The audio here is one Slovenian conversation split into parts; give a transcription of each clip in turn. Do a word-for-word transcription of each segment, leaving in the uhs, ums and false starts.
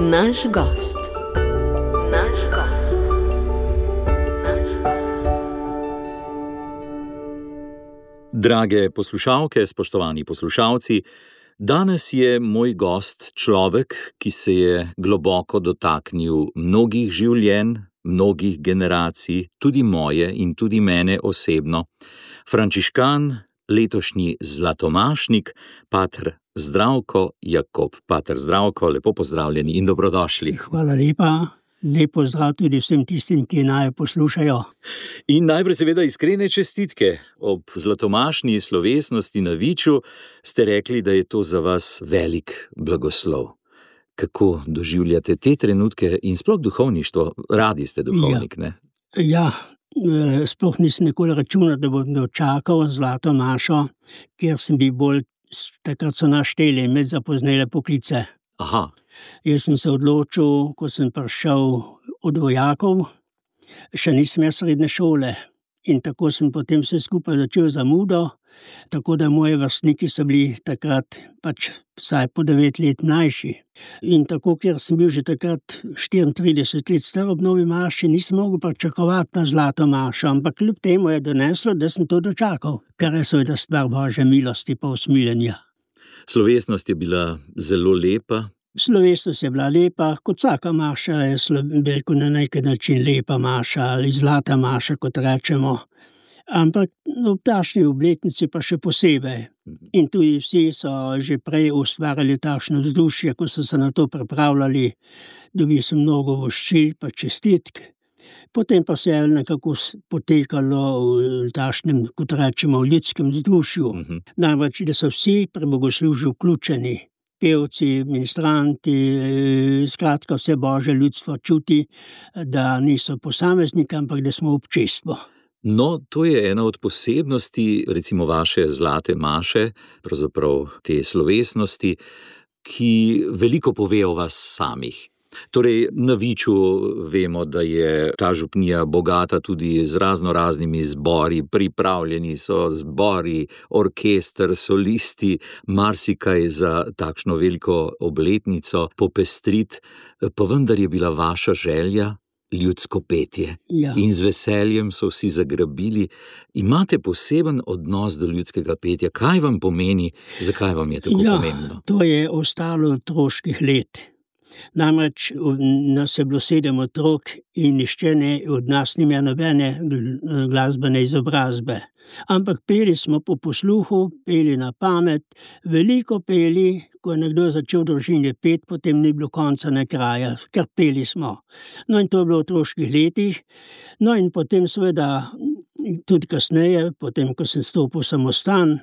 Naš gost. Naš gost. Naš gost. Drage poslušalke, spoštovani poslušalci, danes je moj gost človek, ki se je globoko dotaknil mnogih življenj, mnogih generacij, tudi moje in tudi mene osebno. Frančiškan, letošnji zlatomašnik, pater Zdravko Jakob. Pater Zdravko, lepo pozdravljeni in dobrodošli. Hvala lepa, lep pozdrav tudi vsem tistim, ki naj poslušajo. In najprej seveda iskrene čestitke. Ob zlatomašni slovesnosti na Viču ste rekli, da je to za vas velik blagoslov. Kako doživljate te trenutke in sploh duhovništvo? Radi ste duhovnik, ja. ne? Ja, sploh nisem nikoli računal, da bom dočakal zlato mašo, ker sem bil bolj, takrat so našteli med zapoznele poklice. Aha. Jaz sem se odločil, ko sem prišel od vojakov, še nisem imel srednje šole. In tako sem potem vse skupaj začel zamudo, tako da moji vrstniki so bili takrat pač vsaj po devet let mlajši. In tako, ker sem bil že takrat štiriintrideset let star ob novi maši, nisem mogel pričakovati na zlato mašo, ampak kljub temu je doneslo, da sem to dočakal, kar je seveda stvar Božje milosti pa usmiljenja. Slovesnost je bila zelo lepa. Slovesnost je bila lepa, kot vsaka maša je slabeko na neki način lepa maša ali zlata maša, kot rečemo. Ampak v takšni obletnici pa še posebej. In tudi vsi so že prej ustvarjali takšno vzdušje, ko so se na to pripravljali, dobil sem mnogo voščil pa čestitk. Potem pa se je nekako potekalo v takšnem, kot rečemo, v ljudskem vzdušju. Uh-huh. Namreč, da so vsi pri bogoslužju vključeni. Pevci, ministranti, skratka vse Božje ljudstvo čuti, da niso posamezniki, ampak da smo občestvo. No, to je ena od posebnosti, recimo vaše zlate maše, pravzaprav te slovesnosti, ki veliko pove o vas samih. Torej, na Viču vemo, da je ta župnija bogata tudi z razno raznimi zbori, pripravljeni so zbori, orkester, solisti, marsikaj za takšno veliko obletnico popestrit, pa vendar je bila vaša želja ljudsko petje. Ja. In z veseljem so vsi zagrabili. Imate poseben odnos do ljudskega petja. Kaj vam pomeni, zakaj vam je tako ja, pomembno? To je ostalo otroških let. Namreč nas je bilo sedem otrok in nišče ne od nas ni imel nobene glasbene izobrazbe. Ampak peli smo po posluhu, peli na pamet, veliko peli, ko je nekdo začel v družini pet, potem ni bilo konca na kraja, ker peli smo. No in to je bilo v otroških letih, no in potem seveda tudi kasneje, potem ko sem stopil v samostan,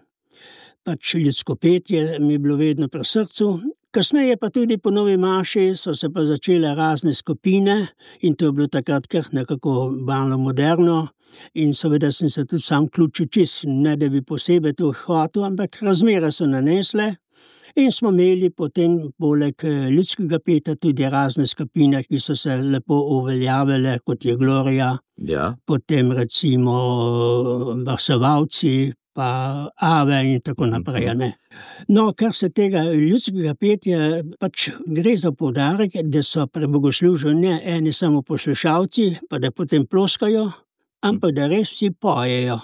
pač ljudsko petje mi je bilo vedno pri srcu. Kasneje pa tudi po novi maši so se pa začele razne skupine in to je bilo takrat kar nekako malo moderno in seveda sem se tudi sam vključil čist, ne da bi posebej to hotel, ampak razmere so nanesle in smo imeli potem poleg ljudskega petja tudi razne skupine, ki so se lepo uveljavile, kot je Gloria, ja. Potem recimo Varsovalci, pa Ave in tako naprej. Ne. No, kar se tega ljudskega petja, pač gre za poudarek, da so pri bogoslužju ne eni samo poslušalci, pa da potem ploskajo, ampak da res vsi pojejo.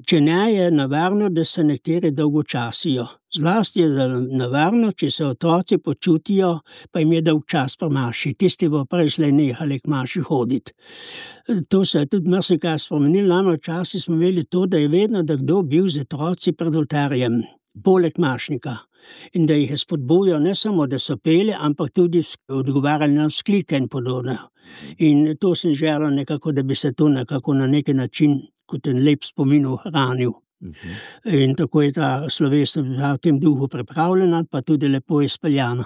Če ne, je nevarno, da se nekateri dolgočasijo. Zlasti je nevarno, če se otroci počutijo, pa jim je dolg čas pri maši. Tisti bo prej slej nehali k maši hoditi. To se je tudi marsikaj spremenilo. Namreč včasih smo imeli to, da je vedno da kdo bil z otroci pred oltarjem, poleg mašnika. In da jih je spodbujal ne samo, da so peli, ampak tudi odgovarjali na vzklike in podobno. In to sem želel nekako, da bi se to nekako na neki način kot en lep spomin ohranil. Uh-huh. In tako je ta slovesnost v tem duhu pripravljena, pa tudi lepo izpeljana.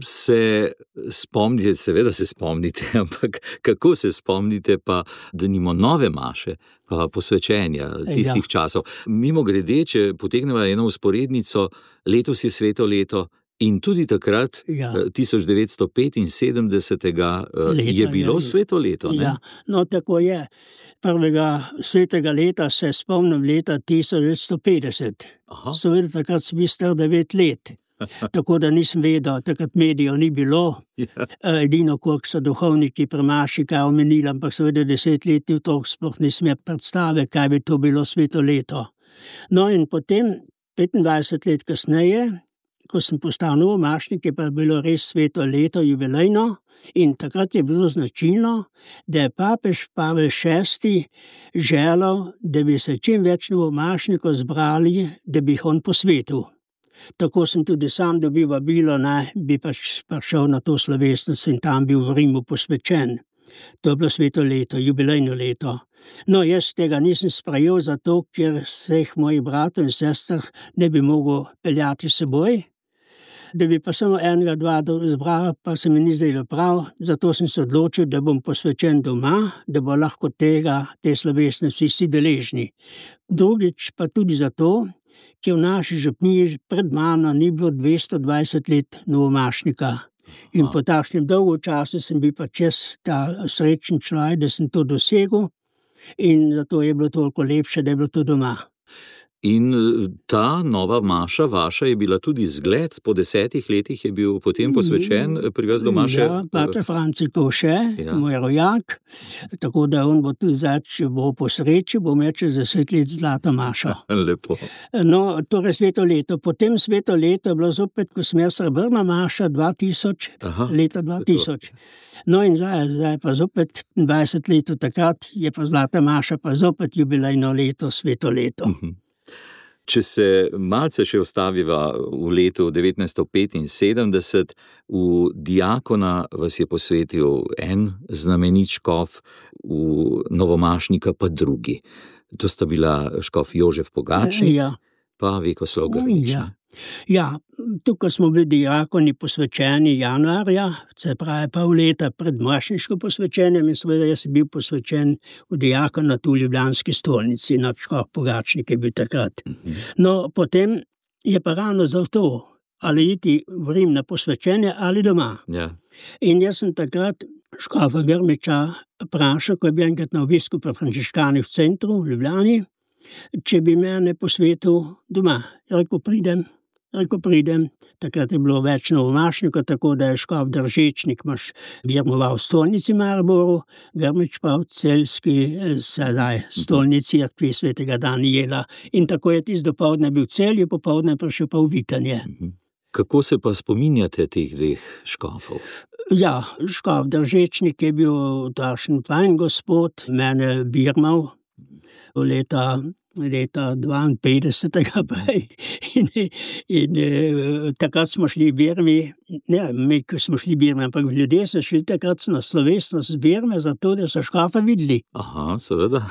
Se spomnite, seveda se spomnite, ampak kako se spomnite pa, da nimo nove maše, pa posvečenja tistih ja. časov. Mimogrede, če potegnemo eno usporednico, letos je sveto leto in tudi takrat, ja. tisoč devetsto petinsedemdesetega leta, je bilo ja, sveto leto. Ne? Ja, no tako je. Prvega svetega leta se spomnim leta tisoč devetsto petdeset. Aha. Seveda takrat sem bil star devet let. tako da nisem vedel, takrat medijev ni bilo. Ja. Edino, koliko so duhovniki pri maši kaj omenili, ampak seveda desetletni otrok sploh ni smel predstave, kaj bi to bilo sveto leto. No in potem, petindvajset let kasneje, ko sem postal novomašnik, je pa bilo res sveto leto, jubilejno, in takrat je bilo značilno, da je papež Pavel šesti želel, da bi se čim več novomašnikov zbrali, da bi jih on posvetil. Tako sem tudi sam dobil vabilo, naj bi pač prišel na to slovesnost in tam bil v Rimu posvečen. To je bilo sveto leto, jubilejno leto. No, jaz tega nisem sprejel zato, ker vseh mojih bratov in sester ne bi mogel peljati s seboj, da bi pa samo enega, dva zbral, pa se mi ni zdelo prav, zato sem se odločil, da bom posvečen doma, da bo lahko tega, te slovesnosti vsi deležni. Drugič pa tudi zato, ker v naši župniji pred mano ni bilo dvesto dvajset let novomašnika. In po takšnem dolgo času sem bil pa čez ta srečen človek, da sem to dosegel, in zato je bilo toliko lepše, da je bilo to doma. In ta nova maša vaša je bila tudi zgled, po desetih letih je bil potem posvečen pri vas doma še? Ja, pater Franci Koše, Ja. moj rojak, tako da on bo tudi zdaj, če bo po sreči, bo imel čez deset let zlato mašo. Lepo. No, torej sveto leto. Potem sveto leto je bilo zopet, ko sem jaz srebrna maša, dva tisoč, Aha, leta dva tisoč. No in zdaj, zdaj pa zopet dvajset let od takrat je pa zlata maša, pa zopet jubilejno leto, sveto leto. Če se malce še ostaviva v letu devetnajststo petinsedemdeset, v diakona vas je posvetil en znamenit škof, v novomašnika pa drugi. To sta bila škof Jožef Pogačnik, Ja. pa Vekoslav Grmič. Ja. Ja, tukaj smo bili diakoni posvečeni januarja, se pravi pol leta pred mašniško posvečenjem, in seveda jaz sem bil posvečen v diakonat v Ljubljanski stolnici, na škof Pogačnik je bil takrat. No, potem je pa ravno zato, ali iti v Rim na posvečenje ali doma. Ja. In jaz sem takrat škofa Grmiča vprašal, ko je bil enkrat na obisku pri frančiškanih v centru v Ljubljani, če bi mene posvetil doma. Rekel, pridem. Rekel, pridem, takrat je bilo več novomašnikov, tako da je škof Držečnik maš birmoval v stolnici Mariboru, Grmič pa v celjski sedaj stolnici cerkvi svetega Danijela. In tako je tisti dopoldne bil v Celju, popoldne prišel pa v Vitanje. Kako se pa spominjate teh dveh škofov? Ja, škof Držečnik je bil takšen fajn gospod, mene birmal v leta leta dvainpetdesetega prej in, in e, takrat smo šli v Birmi, ne, mi, ko smo šli v Birmi, ampak ljudje so šli takrat na slovesnost z Birme, zato da so škofa videli. Aha, seveda.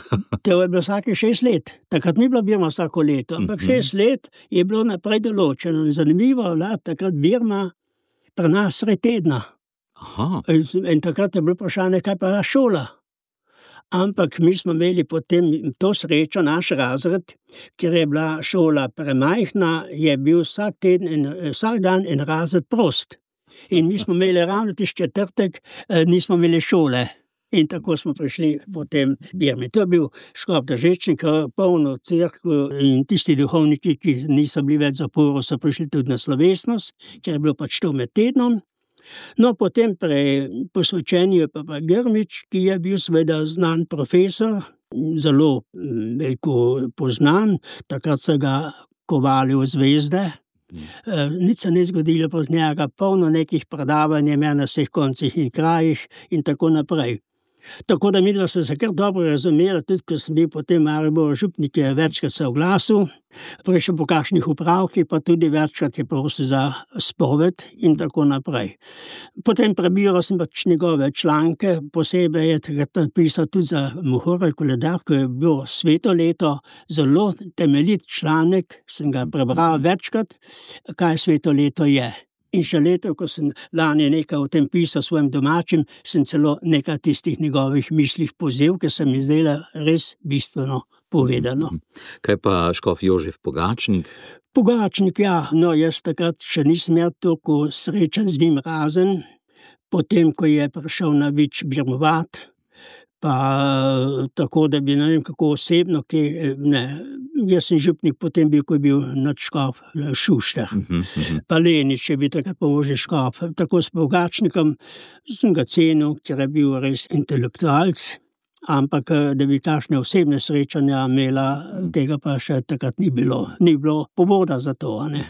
To je bilo vsake šest let. Takrat ni bila Birma vsako leto, ampak šest let je bilo naprej določeno. In zanimivo je bila takrat Birma pri nas sred tedna. Aha. In, in takrat je bilo vprašanje, kaj pa šola. Ampak mi smo imeli potem to srečo, naš razred, ker je bila šola premajhna, je bil vsak teden in vsak dan en razred prost. In mi smo imeli ravno tisti četrtek, nismo imeli šole. In tako smo prišli potem v Birmi. To je bil škof Držečnik, polno cerkev, in tisti duhovniki, ki niso bili več zaporu, so prišli tudi na slovesnost, ker je bilo pač to med tednom. No, potem pri posvečenju je pa, pa Grmič, ki je bil seveda znan profesor, zelo veliko poznan, takrat so ga kovali v zvezde. E, nič se ni zgodilo poz njega, polno nekih predavanj je imel na vseh koncih in krajih in tako naprej. Tako da midva so se kar dobro razumela, tudi ko sem bil potem Maribor župnik, je večkrat se oglasil, prišel po kakšnih upravkih, pa tudi večkrat je prosil za spoved in tako naprej. Potem prebiral sem pač njegove članke, posebej je takrat napisal tudi za Mohorjev koledar, ko je bilo sveto leto, zelo temeljit članek, sem ga prebral večkrat, kaj sveto leto je. In še leto, ko sem lani nekaj o tem pisal svojim domačim, sem celo nekaj tistih njegovih mislih povzel, ker se mi zdela res bistveno povedano. Kaj pa škof Jožef Pogačnik? Pogačnik, ja, no jaz takrat še nisem imel toliko srečen z njim razen, potem, ko je prišel na Vič birmovat, pa tako, da bi ne vem kako osebno, ki, ne, jaz sem župnik potem bil, ko je bil nadškof Šuštar. Mhm, mhm. Pa Lenič je bil takrat pomožni škof. Tako s Pogačnikom sem ga cenil, ker je bil res intelektualc, ampak da bi takšne osebne srečanja imela, tega pa še takrat ni bilo. Ni bilo povoda za to, a ne.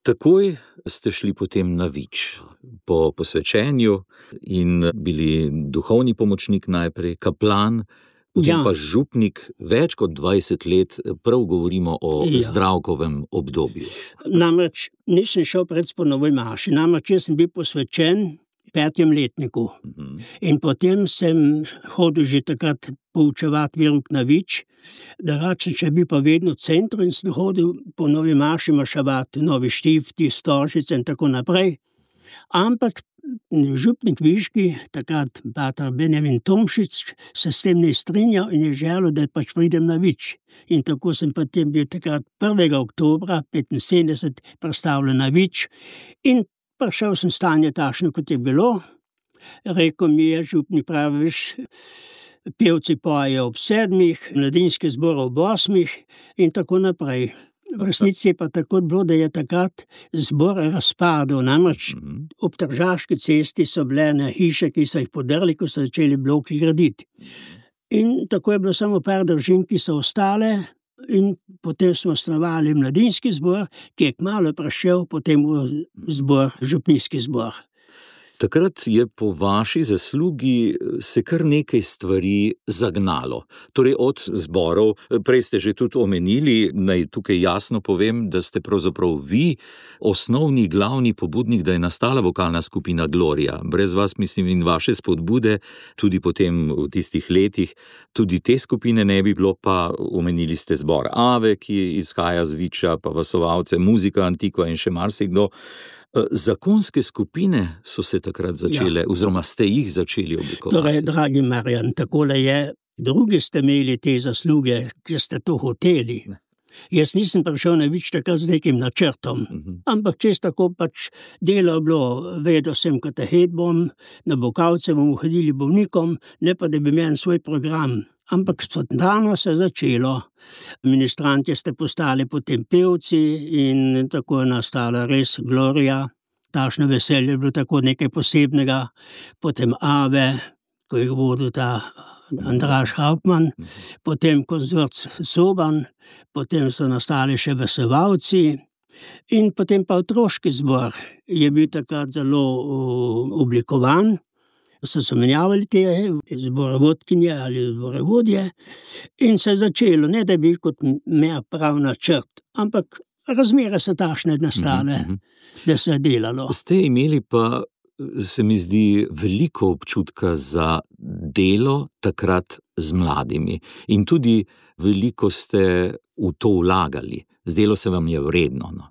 Takoj ste šli potem na Vič po posvečenju in bili duhovni pomočnik najprej, kaplan, potem Ja. pa župnik več kot dvajset let, prav govorimo o Ja. Zdravkovem obdobju. Namreč nisem šel pred po novi maši, namreč jaz sem bil posvečen v petem letniku. Mhm. In potem sem hodil že takrat poučevati verouk na Vič, drugače če bi pa vedno v centru in sem hodil po novi maši maševati Novi Štifti, Stožice in tako naprej. Ampak župnik Viški, takrat pater Benjamin Tomšič, se s tem ne strinjal in je želel, da pač pridem na Vič. In tako sem potem bil takrat prvega oktobra petinsedemdeset predstavljen na Vič in prišel sem stanje takšno, kot je bilo. Rekel mi je župnik, praviš, pevci pojejo ob sedmih, mladinski zbor ob osmih in tako naprej. V resnici je pa tako bilo, da je takrat zbor razpadel, namreč Mhm. ob Tržaški cesti so bile ene hiše, ki so jih podrli, ko so začeli bloki graditi. In tako je bilo samo par družin, ki so ostale, in potem smo osnovali mladinski zbor, ki je kmalu prišel potem v zbor, župnijski zbor. Takrat je po vaši zaslugi se kar nekaj stvari zagnalo. Torej od zborov, prej ste že tudi omenili, naj tukaj jasno povem, da ste pravzaprav vi osnovni, glavni pobudnik, da je nastala vokalna skupina Gloria. Brez vas, mislim, in vaše spodbude, tudi potem v tistih letih, tudi te skupine ne bi bilo, pa omenili ste zbor Ave, ki izhaja z Viča, pa Vasovalce, Muzika Antikva in še marsikdo. Zakonske skupine so se takrat začele, ja. oziroma ste jih začeli oblikovati. Torej, dragi Marjan, takole je, drugi ste imeli te zasluge, ki ste to hoteli. Ne. Jaz nisem prišel na Vič takrat z nekim načrtom, Mhm. ampak čez tako pač delo je bilo, vedel sem katehet bom, na Bokavce bomo hodili bolnikom, ne pa da bi imel svoj program. Ampak spontano se je začelo. Ministranti ste postali potem pevci in tako je nastala res Gloria. Takšno veselje je bilo tako nekaj posebnega. Potem Ave, ko je vodil ta Andraž Hauptmann, potem konzort Soban, potem so nastali še Vasovalci in potem pa otroški zbor je bil takrat zelo uh, oblikovan. So se menjavali te zborovodkinje ali zborovodje in se je začelo, ne da bi kot imel prav načrt, ampak razmere so takšne nastale, Mhm. da se je delalo. Ste imeli pa, se mi zdi, veliko občutka za delo takrat z mladimi in tudi veliko ste v to vlagali. Zdelo se vam je vredno. No?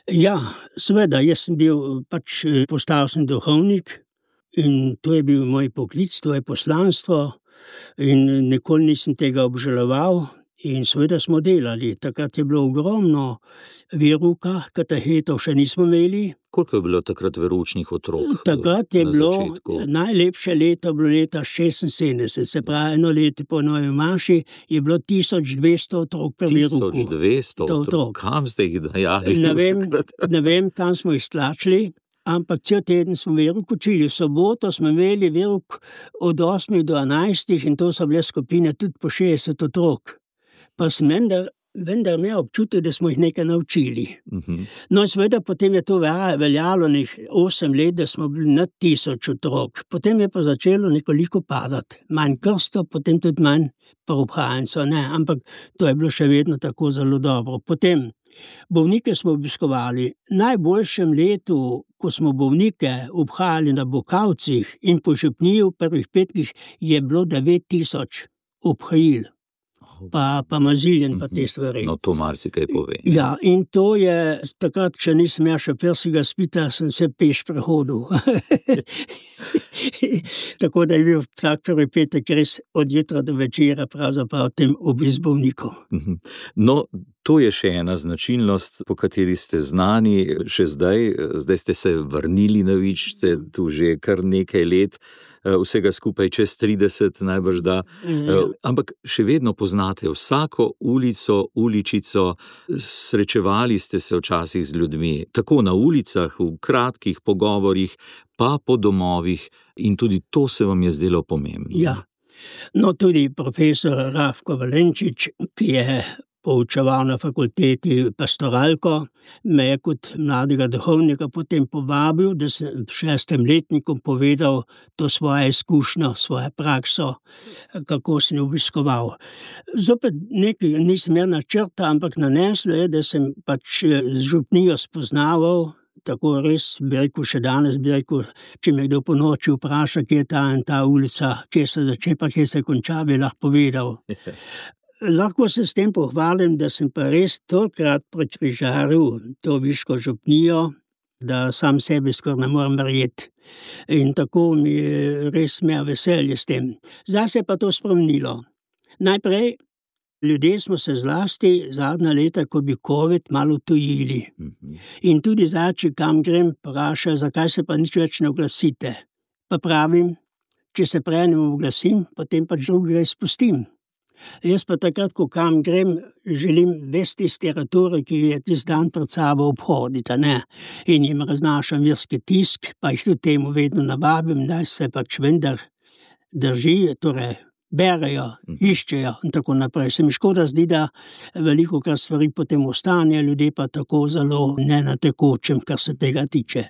Ja, seveda, jaz sem bil pač postal sem duhovnik in to je bil moj poklic, to je poslanstvo in nikoli nisem tega obžaloval in seveda smo delali. Takrat je bilo ogromno verouka, katehetov še nismo imeli. Koliko je bilo takrat veroučnih otrok? Takrat je na bilo začetku? najlepše leto, bilo leta šestinsedemdeset, se pravi eno leto po novi maši je bilo tisoč dvesto otrok pri verouku. tisoč dvesto To otrok. otrok. Kam ste jih dajali? Ne vem, takrat? ne vem, kam smo jih stlačili, ampak cel teden smo verouk učili. V soboto smo imeli verouk od osmih do enajstih in to so bile skupine tudi po šestdeset otrok. Pa sem vendar, vendar imel občutek, da smo jih nekaj naučili. Mhm. No, seveda potem je to veljalo nek osem let, da smo bili nad tisoč otrok. Potem je pa začelo nekoliko padati. Manj krsto, potem tudi manj preobhajencev, ne, ampak to je bilo še vedno tako zelo dobro. Potem bolnike smo obiskovali. V najboljšem letu, ko smo bolnike obhajali na Bokavcih in po župniji v prvih petkih, je bilo devet tisoč obhajil. Pa, pa maziljen, pa te stvari. No, to marsikaj pove. Ja, in to je, takrat, če nisem ja še perskega spita, sem se peš prehodil. Tako da je bil vsak prvi petek res od jutra do večera pravzaprav tem obisk bolnikov. Mhm. No, to je še ena značilnost, po kateri ste znani še zdaj. Zdaj ste se vrnili na Vič, ste tu že kar nekaj let. vsega skupaj čez trideset, najbrž da. Ampak še vedno poznate vsako ulico, uličico, srečevali ste se včasih z ljudmi, tako na ulicah, v kratkih pogovorih, pa po domovih, in tudi to se vam je zdelo pomembno. Ja, no tudi profesor Rafko Valenčič, ki je poučeval na fakulteti pastoralko, me je kot mladega duhovnika potem povabil, da sem v šestem letniku povedal to svoje izkušnjo, svojo prakso, kako sem obiskoval. Zopet nekaj nisem imel načrta, ampak naneslo je, da sem pač z župnijo spoznaval, tako res, bi rekel, še danes, bi rekel, če me kdo po noči vpraša, kje je ta in ta ulica, kje se začne, pa kje se konča, bi lahko povedal. Lahko se s tem pohvalim, da sem pa res tolkrat prekrižaril to viško župnijo, da sam sebi skoraj ne morem verjeti. In tako mi je res imel veselje s tem. Zdaj se je pa to spremenilo. Najprej, ljudje smo se zlasti zadnja leta, ko bi covid, malo tujili. In tudi zdaj, če kam grem, vpraša, zakaj se pa nič več ne oglasite. Pa pravim, če se prej ne oglasim, potem pač drugega izpustim. Jaz pa takrat, ko kam grem, želim vesti iz teritorija, ki je tisti dan pred sabo obhoditi, ne? In jim raznašam verski tisk, pa jih tudi temu vedno navabim, da se pač vendar drži, torej berejo, iščejo in tako naprej. Se mi škoda zdi, da veliko kar stvari potem ostane, ljudje pa tako zelo ne na tekočem, kar se tega tiče.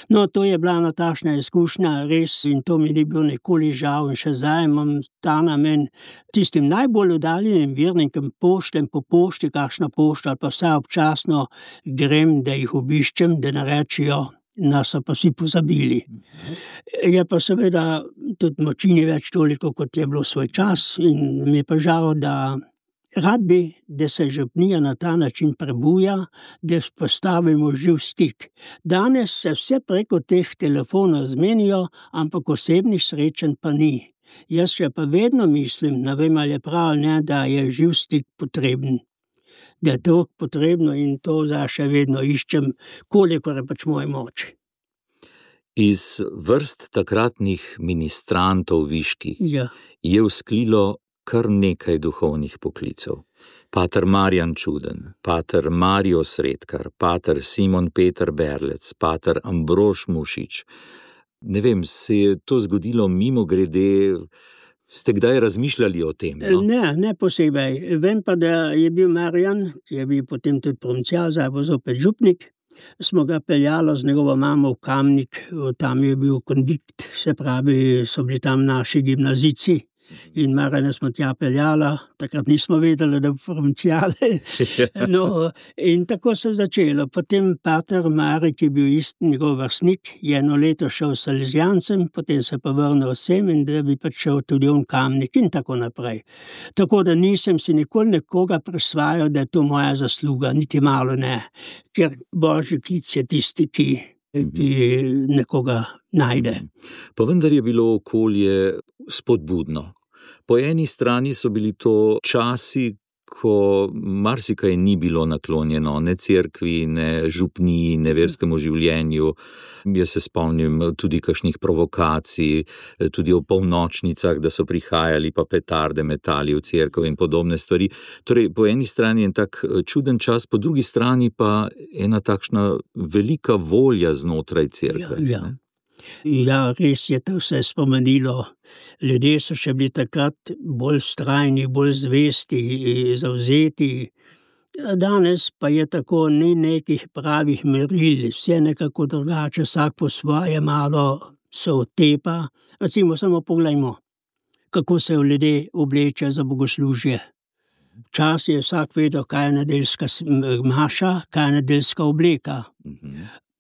No, to je bila natašna izkušnja, res, in to mi ni bilo nikoli žal, in še zdaj imam ta namen tistim najbolj oddaljenim vernikom pošljem po pošti, kakšna pošta, ali pa vsaj občasno grem, da jih obiščem, da ne rečejo, nas so pa vsi pozabili. Je pa seveda tudi moči ni več toliko, kot je bilo svoj čas, in mi je pa žal, da rad bi, da se župnija na ta način prebuja, da postavimo živ stik. Danes se vse preko teh telefonov zmenijo, ampak osebnih srečanj pa ni. Jaz še pa vedno mislim, ne vem, ali je prav, ne, da je živ stik potreben. Da je to potrebno, in to zdaj še vedno iščem, kolikor je pač moje moč. Iz vrst takratnih ministrantov viških Ja. je vzklilo kar nekaj duhovnih poklicev. Pater Marjan Čuden, pater Mario Sredkar, pater Simon Peter Berlec, pater Ambrož Mušič. Ne vem, se je to zgodilo mimo grede? Ste kdaj razmišljali o tem? No? Ne, ne posebej. Vem pa, da je bil Marjan, ki je bil potem tudi provincial, zdaj bo zopet župnik. Smo ga peljali z njegovo mamo v Kamnik, tam je bil konvikt, se pravi, so bili tam naši gimnazici. In Marjana smo tja peljala, takrat nismo vedeli, da bo provincijale. No, in tako se je začelo. Potem pater Mari, ki je bil isti njegov vrstnik, je eno leto šel s Salezijancem, potem se pa vrnil sem, in da bi pač šel tudi on Kamnik in tako naprej. Tako da nisem si nikoli nekoga prisvajal, da je to moja zasluga, niti malo ne. Ker božji klic je tisti, ki, ki nekoga najde. Pa vendar je bilo okolje spodbudno. Po eni strani so bili to časi, ko marsikaj ni bilo naklonjeno, ne cerkvi, ne župniji, ne verskemu življenju. Jaz se spomnim tudi kakšnih provokacij, tudi o polnočnicah, da so prihajali pa petarde metali v cerkev in podobne stvari. Torej, po eni strani je tak čuden čas, po drugi strani pa ena takšna velika volja znotraj cerkve. Ja, ja. Ja, res je to vse spomenilo. Ljudje so še bili takrat bolj vztrajni, bolj zvesti, zavzeti. Danes pa je tako, ni nekih pravih meril, vse nekako drugače, vsak po svoje malo se otepa. Recimo, samo poglejmo, kako se ljudje oblečejo za bogoslužje. Včasih je vsak vedel, kaj je nedeljska maša, kaj je nedeljska obleka.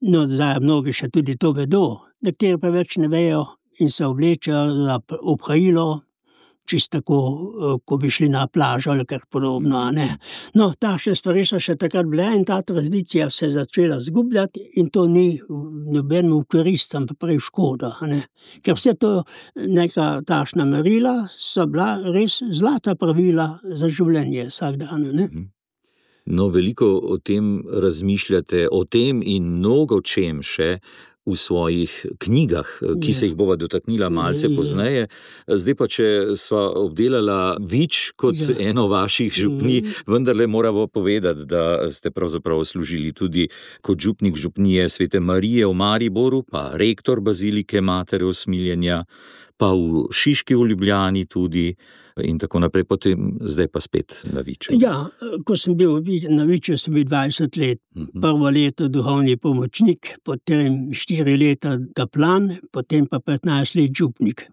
No, zdaj mnogi še tudi to vedo, nekateri pa več ne vejo in se oblečejo za obhajilo, čisto tako, ko bi šli na plažo ali kar podobno, ne. No, takšne stvari so še takrat bile in ta tradicija se je začela zgubljati in to ni nobenemu v korist, ampak prej škoda, ne. Ker vse to neka takšna merila so bila res zlata pravila za življenje vsak dan, ne. No, veliko o tem razmišljate, o tem in mnogo čem še, v svojih knjigah, ki se jih bova dotaknila malce pozneje. Zdaj pa, če sva obdelala Vič kot ja. eno vaših župnij, vendarle moramo povedati, da ste pravzaprav služili tudi kot župnik župnije Svete Marije v Mariboru, pa rektor bazilike Matere Usmiljenja, pa v Šiški v Ljubljani tudi in tako naprej, potem zdaj pa spet na Viču. Ja, ko sem bil na Viču, sem bil dvajset let. Uh-huh. Prvo leto duhovni pomočnik, potem štiri leta kaplan, potem pa petnajst let župnik.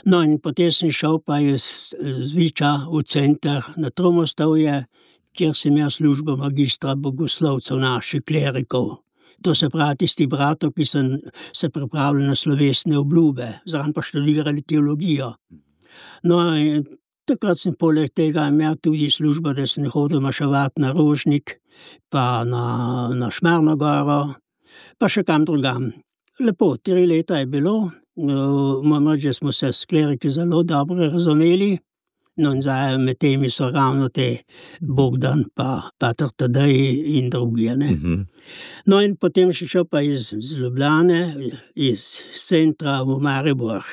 No in potem sem šel pa iz, z Viča v center na Tromostovje, kjer sem jaz službo magistra bogoslovcev naših klerikov. To se pravi tisti bratov, ki sem se pripravljali na slovesne obljube, zraven pa študirali teologijo. No, in takrat sem poleg tega imel tudi službo, da sem hodil maševati na Rožnik, pa na, na Šmarno goro, pa še kam drugam. Lepo, tri leta je bilo, moram reči, da smo se s kleriki zelo dobro razumeli, no in zdaj med temi so ravno te Bogdan, pa Pater Tadej in drugi, ne. Uh-huh. No in potem še šel pa iz, iz Ljubljane, iz centra v Maribor.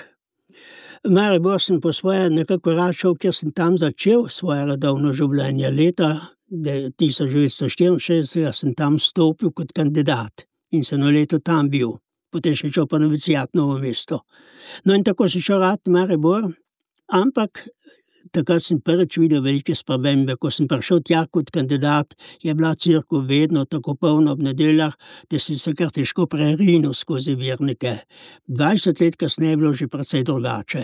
V Maribor sem po svoje nekako rad šel, ker sem tam začel svoje redovno življenje. Leta tisoč devetsto štiriinšestdeset sem tam stopil kot kandidat in sem eno leto tam bil. Potem sem šel pa novicijat Novo mesto. No in tako sem šel rad v Maribor, ampak takrat sem prvič videl velike spremembe. Ko sem prišel tja kot kandidat, je bila cerkev vedno tako polna ob nedeljah, da sem se kar težko prerinil skozi vernike. dvajset let kasneje je bilo že precej drugače.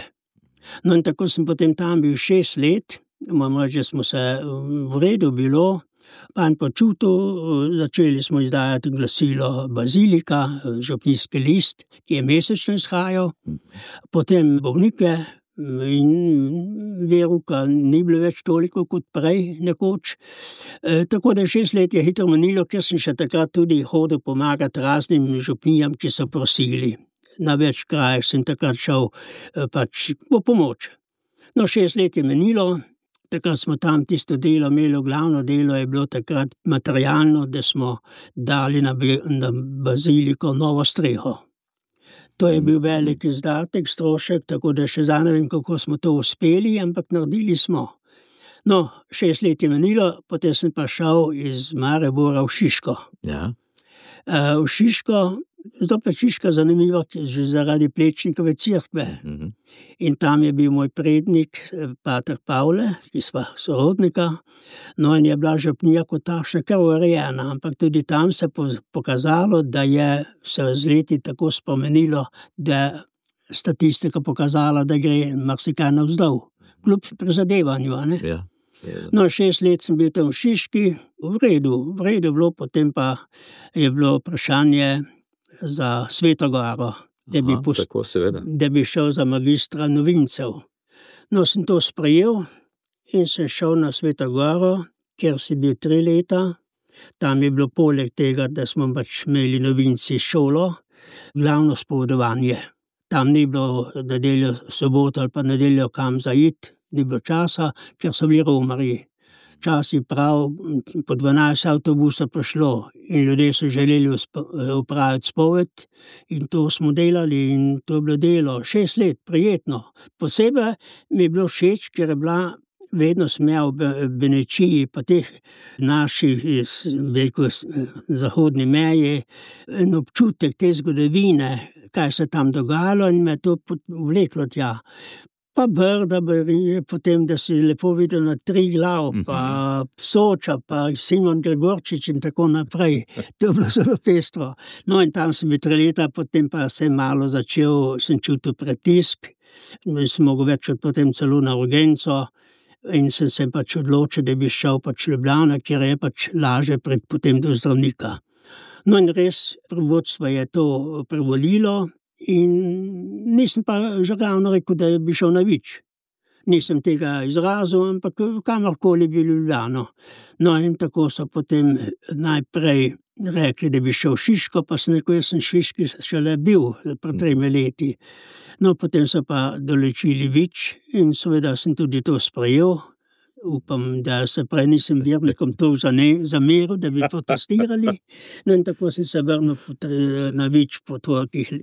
No in tako sem potem tam bil šest let, moram reči, da smo se v redu bilo, pa in počutil, začeli smo izdajati glasilo Bazilika, župnijski list, ki je mesečno izhajal, potem bolnike, in veruka ni bilo več toliko kot prej nekoč. E, tako da šest let je hitro minilo, ker sem še takrat tudi hodil pomagati raznim župnijam, ki so prosili. Na več krajih sem takrat šel pač po pomoč. No, šest let je minilo, takrat smo tam tisto delo imeli, glavno delo je bilo takrat materialno, da smo dali na, na baziliko novo streho. To je bil velik izdatek, strošek, tako da še zdaj ne vem, kako smo to uspeli, ampak naredili smo. No, šest let je minilo, potem sem pa šel iz Maribora v Šiško. Ja. Uh, v Šiško, zopet Šiška zanimiva, že zaradi Plečnikove cerkve. Uh-huh. In tam je bil moj prednik, Pater Pavle, ki sva sorodnika, no in je bila župnija kot takšna kar urejena, ampak tudi tam se pokazalo, da je se z leti tako spomenilo, da statistika pokazala, da gre marsikaj navzdol, kljub prizadevanju, ne? Ja. No, šest let sem bil tam v Šiški, v redu, v redu bilo, potem pa je bilo vprašanje za Sveto goro, da bi, Aha, post... tako, da bi šel za magistra novincev. No, sem to sprejel in sem šel na Sveto goro, kjer si bil tri leta. Tam je bilo poleg tega, da smo pač imeli novinci šolo, glavno spovedovanje. Tam ni bilo nedeljo, soboto ali pa nedeljo kam zaiti, ni bilo časa, ker so bili romarji. Čas je prav, po dvanajst avtobusa prišlo in ljudje so želeli opraviti spoved in to smo delali in to je bilo delo. Šest let, prijetno. Posebej mi je bilo všeč, ker je bila vedno smel v Benečiji, pa teh naših iz veliko zahodni meji, en občutek te zgodovine, kaj se tam dogajalo in me to vleklo tja. Pa Brda, potem, da si lepo videl na Triglav, pa Soča, pa Simon Gregorčič in tako naprej. To je bilo zelo pestro. No in tam sem bil tri leta, potem pa sem malo začel, sem čutil pritisk, sem mogel več od potem celo na urgenco in sem se pač odločil, da bi šel pač Ljubljana, kjer je pač laže pred potem do zdravnika. No in res, vodstvo je to privolilo, in nisem pa že ravno rekel, da bi šel na Vič. Nisem tega izrazil, ampak kamorkoli bi Ljubljano. No in tako so potem najprej rekli, da bi šel v Šiško, pa sem rekel, jaz sem Šiški šele bil pred tremi leti. No, potem so pa določili Vič in seveda sem tudi to sprejel, upam, da se prej nisem vernikom to zameril, da bi protestirali. No in tako sem se vrnil na Vič po,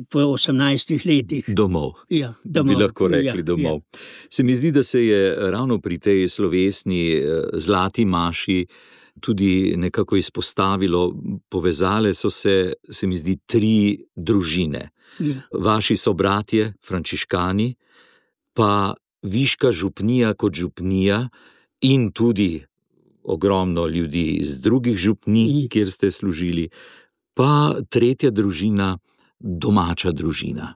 po osemnajstih letih. Domov. Ja, domov. Bi lahko rekli ja, domov. Ja. Se mi zdi, da se je ravno pri tej slovesni zlati maši tudi nekako izpostavilo, povezale so se, se mi zdi, tri družine. Ja. Vaši sobratje, frančiškani, pa Viška župnija kot župnija in tudi ogromno ljudi iz drugih župnij, kjer ste služili, pa tretja družina, domača družina,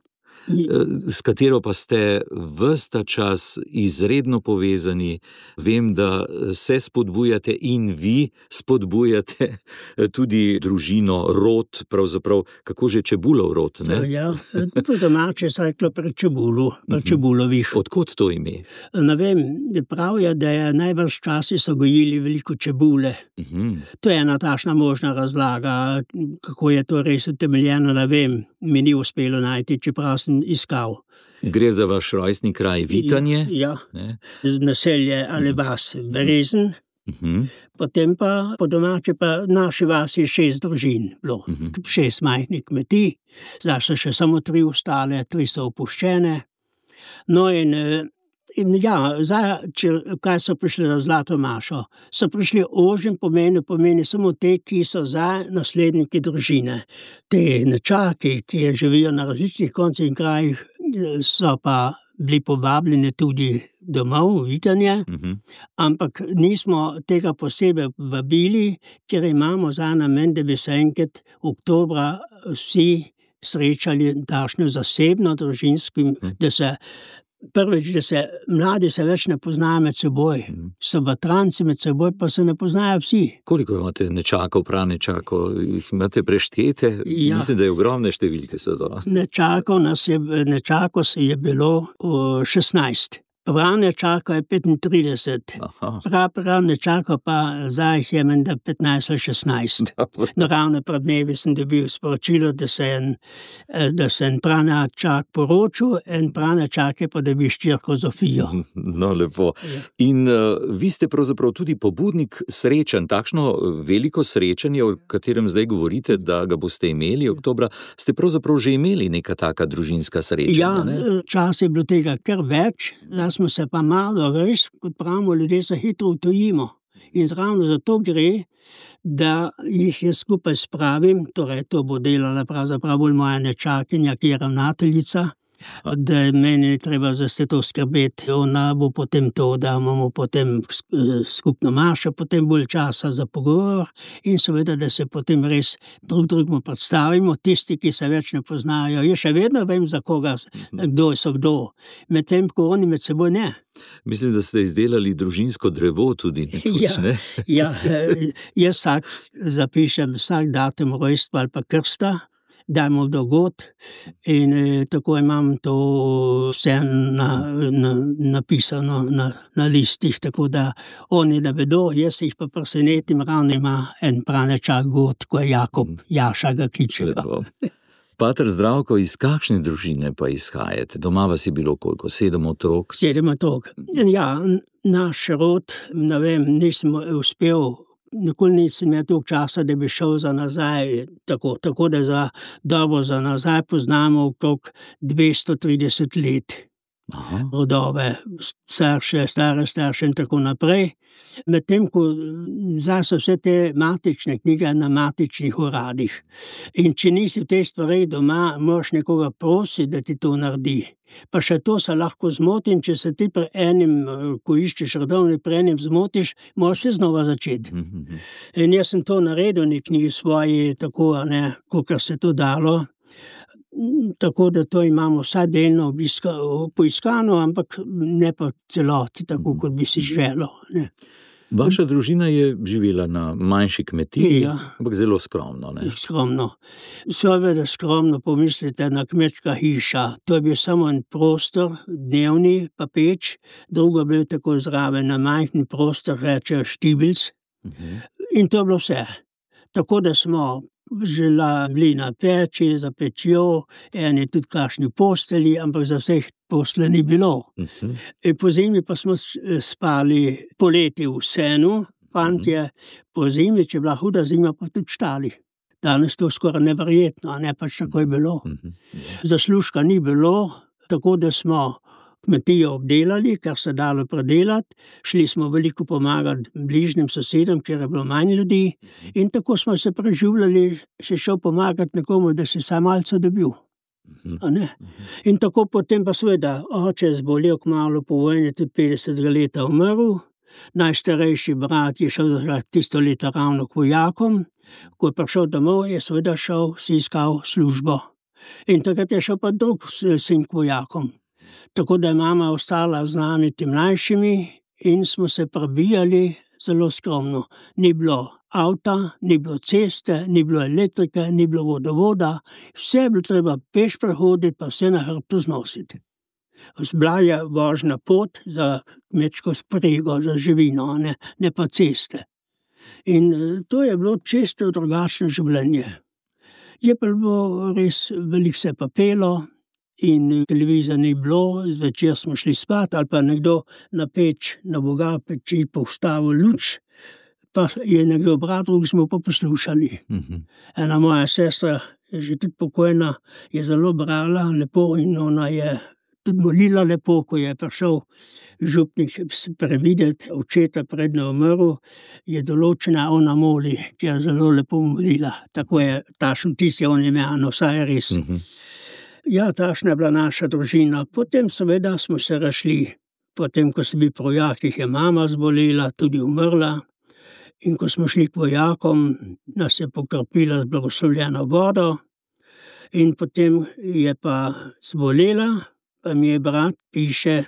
s katero pa ste ves ta čas izredno povezani. Vem, da se spodbujate in vi spodbujate tudi družino, rod, pravzaprav, kako že Čebulov rod, ne? Ja, po domače se reklo pri Čebulu, pri Čebulovih. Odkot to ime? Ne vem, pravijo, da je najbrž časi so gojili veliko čebule. Uhum. To je ena takšna možna razlaga, kako je to res utemeljeno, ne vem, mi ni uspelo najti, čeprav sem iskal. Gre za vaš rojstni kraj Vitanje? Ja, ne? Naselje ali vas Berezen, Uhum. potem pa po domače pa naši vasi šest družin bilo, Uhum. šest majhnih kmetij, zdaj so še samo tri ostale, tri so opuščene. No in In ja, zdaj, če, kaj so prišli na Zlato mašo? So prišli ožjem pomenu, pomeni samo te, ki so za nasledniki družine. Te nečaki, ki živijo na različnih koncih in krajih, so pa bili povabljeni tudi domov, v Vitanje, Uhum. ampak nismo tega posebej vabili, ker imamo za namen, da bi se enkrat oktobra vsi srečali takšno zasebno družinskim, Mhm. da se Prvič, da se mladi se več ne poznajo med seboj, so batranci med seboj, pa se ne poznajo vsi. Koliko imate nečakov, pranečakov, jih imate preštete? Ja. Mislim, da je ogromne številke se to. Nečakov nas je, nečakov se je bilo o, šestnajst. Prav nečakov je petintrideset. Aha. Prav, prav nečakov pa zdaj jih je menda petnajst ali šestnajst. No, ravno pred dnevi sem dobil sporočilo, da se en, da se en pranečak poročil, en pranečak je pa dobil ščirko Zofijo. No, lepo. Ja. In uh, vi ste pravzaprav tudi pobudnik srečanj, takšno veliko srečanje, o katerem zdaj govorite, da ga boste imeli oktobra, ste pravzaprav že imeli neka taka družinska srečanja, Ja, ne? čas je bilo tega kar več, zdaj smo se pa malo res, kot pravimo, ljudje se hitro utojimo. In ravno zato gre, da jih jaz skupaj spravim, torej to bo delala pravzaprav bolj moja nečakinja, ki je ravnateljica, da meni je treba za vse to skrbeti, ona bo potem to, da imamo potem skupno mašo, potem bolj časa za pogovor in seveda, da se potem res drug drugemu predstavimo, tisti, ki se več ne poznajo. Jaz še vedno vem, za koga, kdo so kdo, medtem ko oni med seboj ne. Mislim, da ste izdelali družinsko drevo tudi nekoč, Ja. ne? Ja, jaz vsak zapišem vsak datum rojstva ali pa krsta, dajmo dogot in eh, tako imam to vse na, na, napisano na, na listih, tako da oni ne vedo, jaz jih pa presenetim, ravno ima en pranečak god, ko je Jakob, Jaša ga kličejo. Lepo. Pater Zdravko, iz kakšne družine pa izhajate? Doma vas je bilo koliko? Sedem otrok? Sedem otrok. Ja, naš rod, ne vem, nisem uspel, nikoli nisem imel toliko časa, da bi šel za nazaj, tako, tako da za dobro za nazaj poznamo okrog dvesto trideset let. Aha. Rodove, starše, stare starše in tako naprej. Medtem, ko zdaj so vse te matične knjige na matičnih uradih. In če nisi v tej stvari doma, moraš nekoga prositi, da ti to naredi. Pa še to se lahko zmoti, in če se ti pri enim, ko iščeš rodovni, pri enim zmotiš, moraš se znova začeti. Mhm. In jaz sem to naredil v knjigi svoji, tako, ne, kakor se to dalo. Tako da to imamo vsaj delno obiska, poiskano, ampak ne pa celoti, tako kot bi si želel. Ne. Vaša družina je živela na manjši kmetiji, Ja. ampak zelo skromno, ne? Skromno. Seveda skromno pomislite na kmečka hiša. To je bil samo en prostor, dnevni pa peč, drugo je bil tako zraven na majhni prostor, reče štibilc. Mhm. In to je bilo vse. Tako da smo žela bili na peči, za pečjo, eni tudi kakšni posteli, ampak za vseh posle ni bilo. Mhm. In po zimi pa smo spali poleti v senu, fantje, po zimi, če je bila huda zima, pa tudi štali. Danes to skoraj neverjetno, a ne pač tako je bilo. Mhm. Zaslužka ni bilo, tako da smo kmetijo obdelali, kar se dalo predelati, šli smo veliko pomagati bližnjim sosedom, kjer je bilo manj ljudi, in tako smo se preživljali, še šel pomagati nekomu, da si sam malce dobil. A ne? In tako potem pa seveda oče je zbolel kmalu po vojni, tudi petdesetega leta umrl, najstarejši brat je šel za tisto leto ravno k vojakom, ko je prišel domov, je seveda šel, si iskal službo. In takrat je šel pa drug sin k vojakom. Tako da je mama ostala z nami tem mlajšimi in smo se prebijali zelo skromno. Ni bilo avta, ni bilo ceste, ni bilo elektrike, ni bilo vodovoda, vse je bilo treba peš prehoditi, pa vse na hrbtu znositi. Bila je vožna pot za kmečko sprego, za živino, ne, ne pa ceste. In to je bilo čisto drugačno življenje. Je pa bilo res veliko se pa pelo, in televizija ni bilo, zvečer smo šli spat, ali pa nekdo na peč, na Boga peči postavil luč, pa je nekdo brat, drug smo pa poslušali. Mhm. Ena moja sestra, je že tudi pokojna, je zelo brala lepo in ona je tudi molila lepo, ko je prišel župnik prevideti očeta predno umrl, je določena ona moli, ki je zelo lepo molila. Tako je tašen tis je on ime, no vsaj je res. Mhm. Ja, tašna je bila naša družina. Potem seveda smo se rašli. Potem, ko so bili pri vojakih, je mama zbolela, tudi umrla. In ko smo šli k vojakom, nas je pokropila z blagoslovljeno vodo. In potem je pa zbolela, pa mi je brat piše,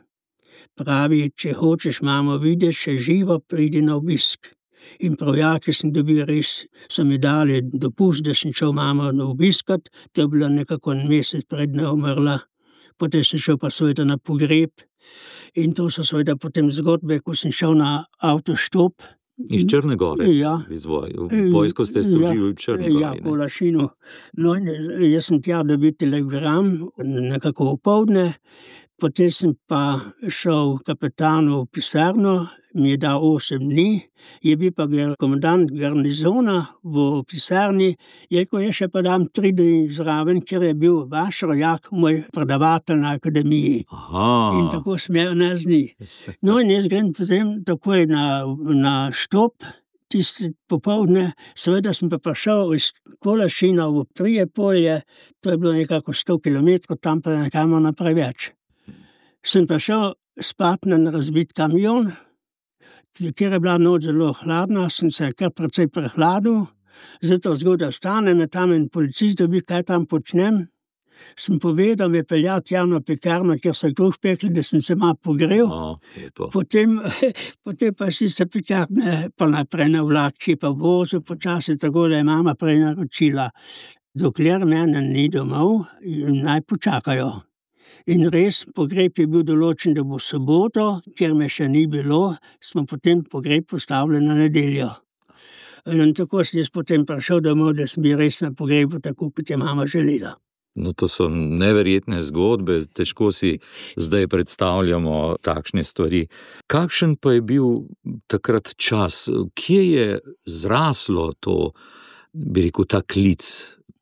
pravi, če hočeš mamo videti, še živo pridi na obisk. In projaki sem dobil res, so mi dali dopust, da sem šel mamo na obiskat, to je bilo nekako en mesec predno umrla. Potem sem šel pa seveda na pogreb in to so seveda potem zgodbe, ko sem šel na avtoštop. Iz Črne Gore? Ja. Iz voj, vojsko ste služili v Črni Gori? Ja, po Lašinu. No, jaz sem tja dobil telegram, nekako opoldne, potem sem pa šel kapetanu v pisarno, mi je dal osem dni, je bil pa komandant garnizona v pisarni, je rekel, je še pa dam tri dni zraven, ker je bil vaš rojak, moj predavatelj na akademiji. Aha. In tako smel nas dni. No in jaz grem potem takoj na, na štop, tiste popoldne, seveda sem pa prišel iz Kolašina v Prijepolje, to je bilo nekako sto kilometrov, tam pa nekamo naprej več. Sem prišel spat na razbit kamion, ker je bila noč zelo hladna, sem se kar precej prehladil, zato zgodaj vstanem, je tam en policist, da bi kaj tam počnem. Sem povedal, me peljati javno pekarno, ker so kruh pekli, da sem se malo pogrel. O, potem, potem pa si se pekarne pa naprej na vlak, ki pa vozil počasi, tako da je mama prej naročila. Dokler mene ni domov, naj počakajo. In res, pogreb je bil določen, da bo soboto, ker me še ni bilo, smo potem pogreb postavili na nedeljo. In tako sem jaz potem prišel domov, da sem bil res na pogrebu, tako kot je mama želela. No, to so neverjetne zgodbe, težko si zdaj predstavljamo takšne stvari. Kakšen pa je bil takrat čas? Kje je zraslo to, bi rekel, ta klic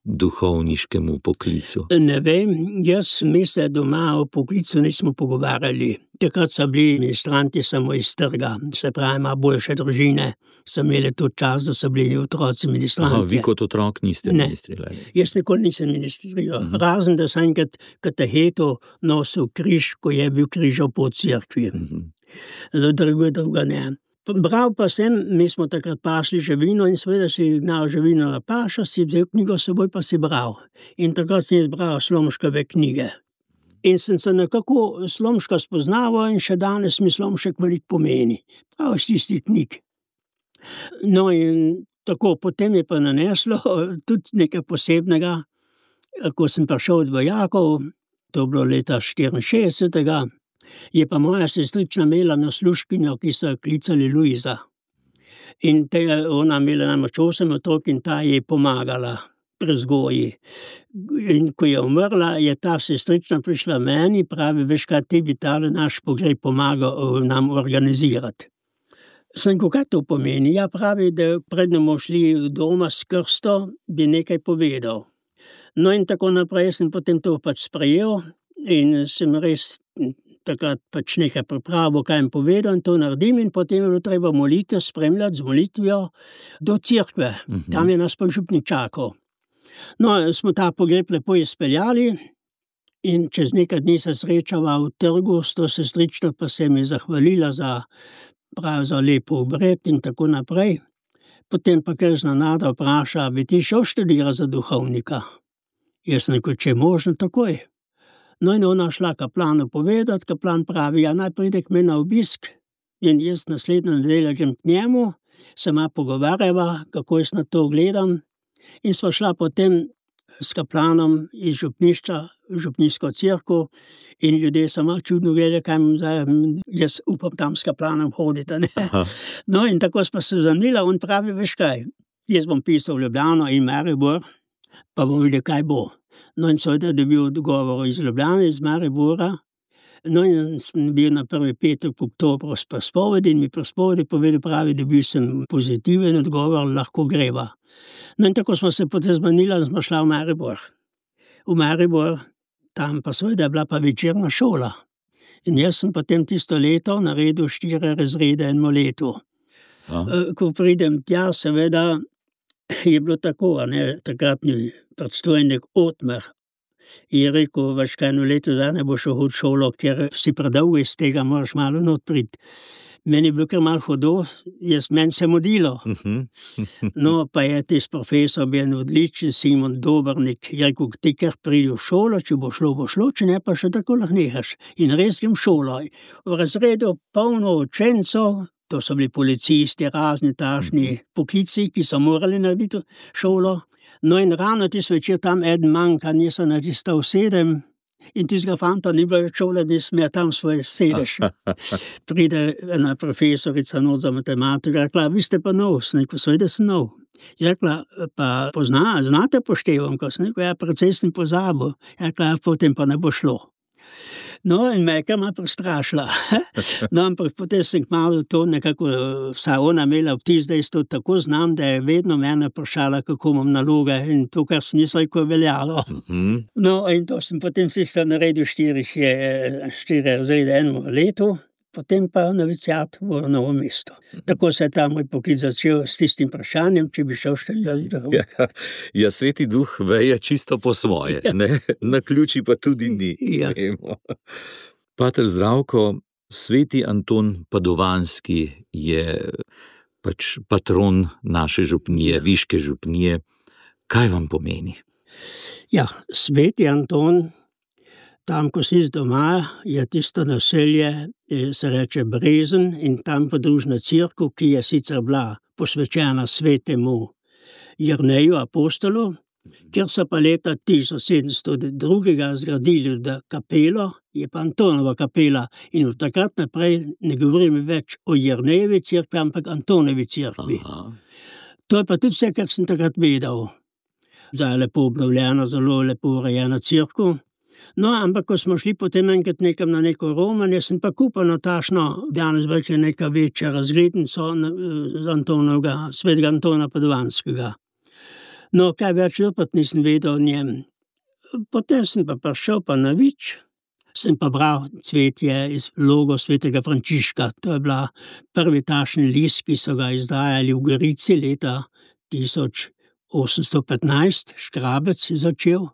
duhovniškemu poklicu? Ne vem, jaz mislim, doma o poklicu nismo pogovarjali. Takrat so bili ministranti samo iz trga, se pravi, ima boljše družine, so imeli to čas, da so bili otroci ministranti. Aha, vi kot otrok niste ministrirali? Jaz nikoli nisem ministriral, uh-huh. Razen da sem enkrat kateheto nosil križ, ko je bil križal po cerkvi. Uh-huh. Drugo, drugo ne. Bral pa sem, mi smo takrat pašli živino in seveda si gnal živino na pašo, si vzel knjigo s seboj, pa si bral. In takrat sem izbral Slomškove knjige. In sem se nekako Slomška spoznaval in še danes mi Slomšek veliko pomeni. Prav iz tistih knjig. No in tako, potem je pa naneslo tudi nekaj posebnega, ko sem prišel od vojakov, to bilo leta štiriinšestdesetega, je pa moja sestrična imela nasluškinjo, ki so jo klicali Luiza. In te, ona imela namreč osem otrok in ta je pomagala. prezgoji. In ko je umrla, je ta sestrična prišla meni, pravi, veš kaj, ti bi tale naš pogreb pomagal nam organizirati. Sem ko kaj to pomeni? Ja, pravi, da prednemo šli doma s krsto, bi nekaj povedal. No in tako naprej sem potem to pač sprejel in sem res takrat pač nekaj pripravil, kaj jim povedal in to naredim in potem je bilo treba molitev spremljati z molitvijo do cerkve. Uh-huh. Tam je nas pa župnik čakal. No, smo ta pogreb lepo izpeljali in čez nekaj dni se srečava v trgu s to sestrično, pa se mi zahvalila za, prav za lepo obred in tako naprej. Potem pa kar znanada vpraša, bi ti šel študirati za duhovnika? Jaz sem rekel, če je možno, takoj. No in ona šla kaplanu povedati, kaplan pravi, ja naj pride k meni na obisk in jaz naslednjo nedeljo grem k njemu, se ma pogovarjava, kako jaz na to gledam in sva šla potem s kaplanom iz župnišča v župnijsko cerkev in ljudje so malo čudno gledali, kaj imam zdaj, jaz upam tam s kaplanom hoditi. No in tako sva se zanila, on pravi, veš kaj, jaz bom pisal v Ljubljano in Maribor, pa bom videl, kaj bo. No in seveda dobil odgovor iz Ljubljane, iz Maribora. No in sem bil na prvi petek oktobra s prespovedi in mi prespovedi povedal, pravi, dobil sem pozitiven odgovor, lahko greva. No in tako smo se potem zmenili in smo šla v Maribor. V Maribor, tam pa seveda je bila pa večerna šola. In jaz sem potem tisto leto naredil štiri razrede enemu letu. A. Ko pridem tja, seveda, je bilo tako, a ne, takratni predstojnik Otmar je rekel, veš kaj, eno leto zdaj ne boš šel v šolo, ker si predolgo iz tega, moraš malo not priti. Meni je bilo kar malo hudo, jaz meni se modilo. No, pa je tis profesor bil en odličen, Simon Dobrnik, je rekel, ti kar pridi v šolo, če bo šlo, bo šlo, če ne, pa še tako lahko nehaš. In res grem v šolo. V razredu polno učencov, to so bili policisti, razni tašni poklici, ki so morali narediti šolo. No in rano tis večer tam eden manjka, nisem na tisto sedem in tistega fanta ni bilo več šole, nisem ja tam svoj sedež. Pride ena profesorica not za matematiko, rekla, vi ste pa nov, sem rekel, seveda sem nov. Je rekla, pa pozna, znate poštevam, ko sem rekel, ja, precej sem pozabil. Je rekla, potem pa ne bo šlo. No, in me je kar malo prestrašila. No, ampak potem sem kmalu to nekako, vsaj ona imela vtis, da jaz to tako znam, da je vedno mene vprašala, kako imam naloge in to, kar sem nisem rekel, veljalo. No, in to sem potem sicer naredil štiri, štiri razrede enemu letu, potem pa noviciat v Novo mesto. Tako se je ta moj poklic začel s tistim vprašanjem, če bi šel študirati. Ja, ja, Sveti Duh veje čisto po svoje, ja. Ne? Na ključi pa tudi ni. Ja. Pater Zdravko, Sveti Anton Padovanski je pač patron naše župnije, ja. Viške župnije. Kaj vam pomeni? Ja, Sveti Anton, tam, ko si z doma, je tisto naselje, se reče Brezen in tam podružna cerkev, ki je sicer bila posvečena svetemu Jerneju apostolu, ker so pa leta tisoč sedemsto dva zgradili kapelo, je pa Antonova kapela in od takrat naprej ne govorim več o Jernejevi cerkvi, ampak Antonovi cerkvi. Aha. To je pa tudi vse, kar sem takrat vedel. Zdaj je lepo obnovljena, zelo lepo urejena cerkev. No, ampak ko smo šli potem enkrat nekam na neko romanje, sem pa kupil natašno, danes več je neka večja razglednico z Antonovega, svetega Antona Padovanskega. No, kaj več opet nisem vedel o njem. Potem sem pa prišel pa na Vič, sem pa bral cvetje iz logo svetega Frančiška. To je bila prvi tašni list, ki so ga izdajali v Gorici leta tisoč osemsto petnajst, Škrabec je začel.